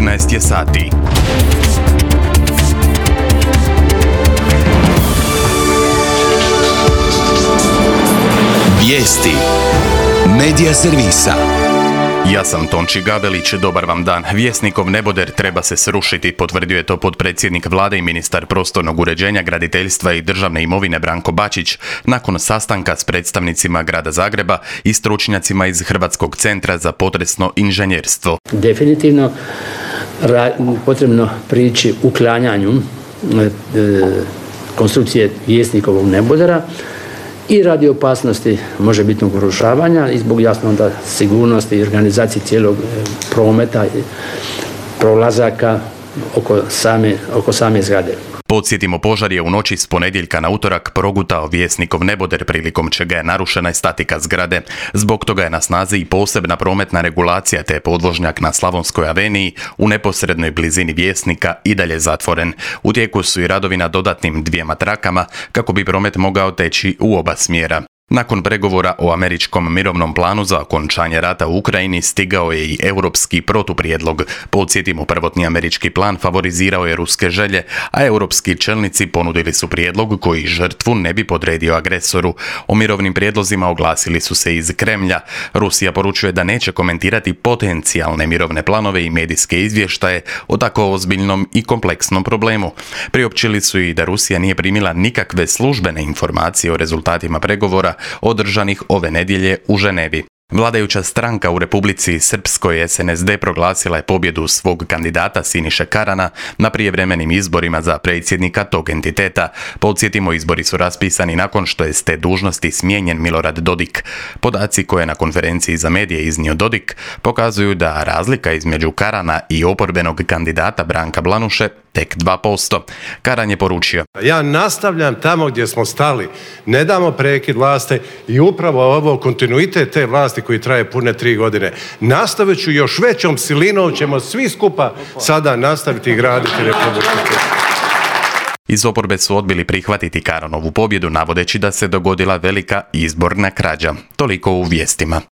14 je sati. Vijesti Medija servisa. Ja sam Tonči Gabelić, dobar vam dan. Vjesnikov neboder treba se srušiti, potvrdio je to potpredsjednik vlade i ministar prostornog uređenja, graditeljstva i državne imovine Branko Bačić nakon sastanka s predstavnicima grada Zagreba i stručnjacima iz Hrvatskog centra za potresno inženjerstvo. Definitivno potrebno prići uklanjanju konstrukcije Vjesnikovog nebodera i radi opasnosti možebitnog urušavanja i zbog jasno onda sigurnosti i organizacije cijelog prometa i prolazaka oko same zgrade. Podsjetimo, požar je u noći s ponedjeljka na utorak progutao Vjesnikov neboder, prilikom čega je narušena statika zgrade. Zbog toga je na snazi i posebna prometna regulacija, te podvožnjak na Slavonskoj aveniji u neposrednoj blizini Vjesnika i dalje zatvoren. U tijeku su i radovi na dodatnim 2 trakama kako bi promet mogao teći u oba smjera. Nakon pregovora o američkom mirovnom planu za okončanje rata u Ukrajini stigao je i europski protuprijedlog. Podsjetimo, prvotni američki plan favorizirao je ruske želje, a europski čelnici ponudili su prijedlog koji žrtvu ne bi podredio agresoru. O mirovnim prijedlozima oglasili su se iz Kremlja. Rusija poručuje da neće komentirati potencijalne mirovne planove i medijske izvještaje o tako ozbiljnom i kompleksnom problemu. Priopćili su i da Rusija nije primila nikakve službene informacije o rezultatima pregovora održanih ove nedjelje u Ženevi. Vladajuća stranka u Republici Srpskoj SNSD proglasila je pobjedu svog kandidata Siniše Karana na prijevremenim izborima za predsjednika tog entiteta. Podsjetimo, izbori su raspisani nakon što je s te dužnosti smijenjen Milorad Dodik. Podaci koje je na konferenciji za medije iznio Dodik pokazuju da razlika između Karana i oporbenog kandidata Branka Blanuše tek 2%. Karan je poručio: ja nastavljam tamo gdje smo stali, ne damo prekid vlasti i upravo ovo kontinuitet te vlasti koji traje pune 3 godine. Nastavit ću još većom silinom, ćemo svi skupa sada nastaviti graditi Republiku. Iz oporbe su odbili prihvatiti Karanovu pobjedu, navodeći da se dogodila velika izborna krađa. Toliko u vijestima.